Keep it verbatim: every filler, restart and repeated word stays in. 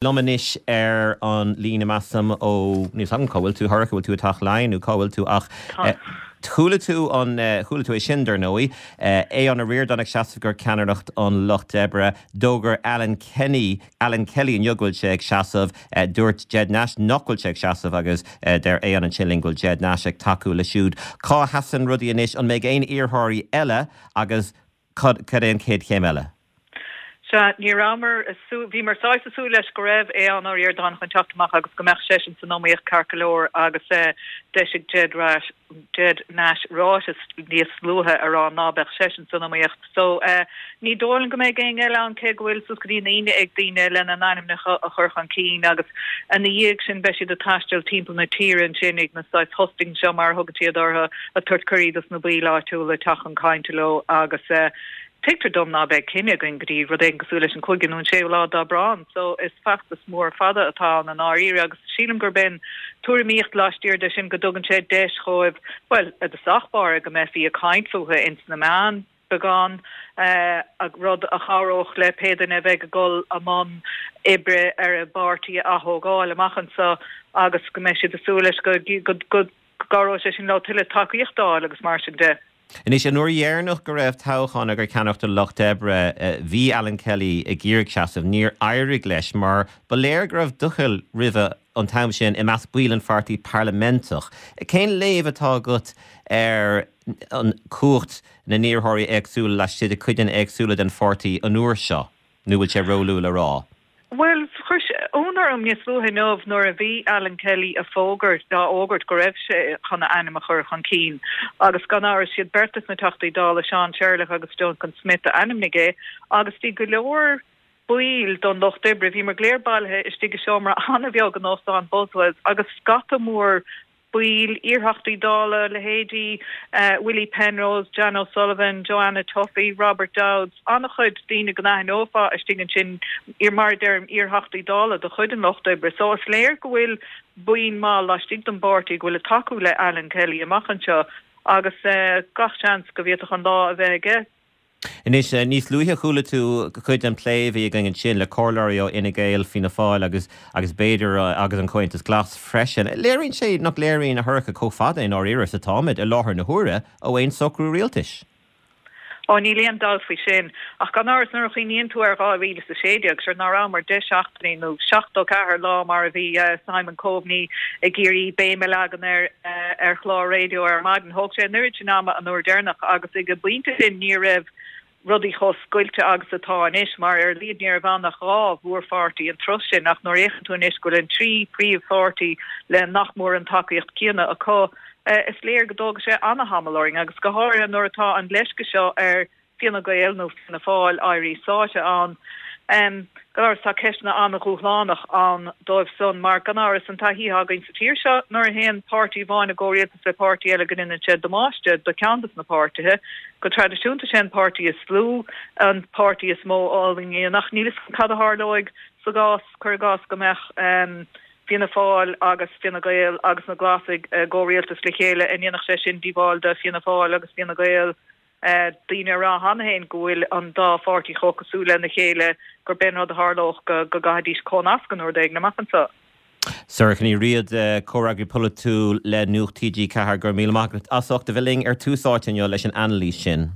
Liom anois ar an líne measaim ó níl a fhios agam cá bhfuil tú Shorcha bhfuil tú i dTeach Laighean nó cá bhfuil tú ach chuala tú an chuala tú é sin dar ndóigh Aodhán Ó Ríordáin ag seasamh do cheannaireacht an Lucht Oibre d'fhógair Alan Kenny Alan Kelly inniu go bhfuil sé ag seasamh dúirt Ged Nash nach bhfuil sé ag seasamh agus deir Aodhán ansin linn go bhfuil Ged Nash ag tacú leis siúd. Cá sheasann rudaí anois an mbeidh aon iarrthóirí eile agus cad é an chéad chéim eile? Sea, ní rabhamar bhíomar saghas ag súil leis go raibh Aodhán Ó Ríordáin chun teacht amach agus go mbeadh seisean san iomaíocht ceart go leor agus d'eisigh Ged Ged Nash ráiteas níos luaithe a rá ná beadh seisean san iomaíocht. So ní dóigh liom go mbeidh éinne eile ann cé go bhfuil suas go dtí an Aoine ag daoine lena n-ainmneacha a chur chun cinn agus ina dhiaidh sin beidh siad ag taisteal timpeall na tíre ansin ag na saghas hustings seo mar a thugann siad orthu ag tabhairt cuirí dos na baill áitiúla teacht chun cainte leo agus Tuigtear dom ná beidh cinneadh againn go dtí rud éigin cosúil leis an cúigiú nó an séú lá d'Aibreán, so is feachtas mór fada atá ann i ndáiríre agus sílim gurb é an tuairimíocht laistiar de sin go dtugann sé deis dhóibh, bhuel, i dtosach báire go mbeifí ag caint fúthu ins na meáin beagán, rud a chabhródh le pé duine a bheidh ag dul i mbun oibre ar a bpáirtí a ath-thógáil amach anseo agus go mbeidh siad ag súil leis go go gcabhróidh sé sin leo tuilleadh tacaíocht a fháil agus mar sin de. Anois, an uair dheireanach go raibh toghchán do cheannaireacht an Lucht Oibre, bhí Alan Kelly ag iarraidh seasamh. Níor éirigh leis mar ba léir go raibh doicheall roimhe an t-am sin i measc baill an pháirtí parlaimenteach. Cén léamh atá agat ar an cumhacht na n-iarrthóirí éagsúla laistigh de coideanna éagsúla den pháirtí an uair seo, nó bhfuil sé róluath le rá? Bhuel, chuir sé ionadh orm níos luaithe inniu nuair a bhí Alan Kelly ag fógairt, á fhógairt go raibh sé chun a ainm a chur chun cinn agus gan amhras siad beirt de na Teachtaí Dála, Seán Sherlock agus Duncan Smith a ainmnigh é agus bhí go leor baill don Lucht Oibre, bhíomar go léir bailithe istigh i seomra an-bheag in Óstán Buswells agus scata mór baill, iarTheachtaí Dála, leithéidí Willie Penrose, Jan O'Sullivan, Joanna Tuffy, Robert Dowds, an-chuid daoine go n-aithneofá istigh ansin, mar a deirim, iarTheachtaí Dála de chuid an Lucht Oibre. So is léir go bhfuil buíon maith laistigh den bpáirtí go bhfuil ag tacú le Alan Kelly amach anseo agus gach seans go bhféadfadh an lá a bheith aige. Anois, níos luaithe chuala tú cuid den plé a bhí againn ansin le comhairleoirí ó Fhine Gael, Fianna Fáil agus agus b'fhéidir agus an Comhaontas Glas freisin. Léiríonn sé nach léiríonn a Shorcha chomh fada i ndáiríre is atáimid i láthair na huaire ó aon socrú rialtais. Ó níl aon dabht faoi sin. Ach gan amhras nuair a chuimhníonn tú ar dhá mhíle is a sé déag, sure ná rabhamar deich seachtainí nó seachtó ceathair lá mar a bhí Simon Coveney ag iarraidh béim a leagan air ar chlár raidió ar maidin. Thóg sé an oiread sin ama an uair deireanach agus ag an bpointe sin ní raibh rudaí chomh scoilte agus atá anois mar ar a laghad ní raibh ann ach dhá mhórpháirtí an tráth sin ach nuair a fhéachann tú anois go bhfuil an trí príomhpháirtí le nach mór an tacaíocht céanna acu, is léir go dtógfaidh sé ana-thamall orainn agus go háirithe nuair atá an leisce seo ar Fianna Gael nó Fianna Fáil éirí sáite ann. Gan amhras tá ceisteanna an-dhúshlánach ann dóibh san mar gan amhras an taithí atá againn sa tír seo nuair a théann páirtí amháin i gcomhrialtas le páirtí eile go ndéanann sé damáiste do cheann des na páirtithe. Go traidisiúnta sé an páirtí is lú an páirtí is mó a fhulaingíonn ach níl 'fhios agam cad a tharlóidh sa gcás, cuir i gcás, go mbeadh Fianna Fáil agus Fine Gael agus na Glasaigh i gcomhrialtas le chéile, an ndéanfadh sé sin díobháil do Fianna Fáil agus Fine Gael? Daoine ag rá cheana féin go bhfuil an dá pháirtí chomh cosúil lena chéile gurb é an rud a tharlódh go gcaithfidís cónascadh nó rud éigin amach anseo. Sorcha Ní Riada, Comhfhreagraí Polaitiúil le Nuacht T G ceathair, go raibh míle maith agat as ucht a bheith linn ar Tús Áite inniu leis an anailís sin.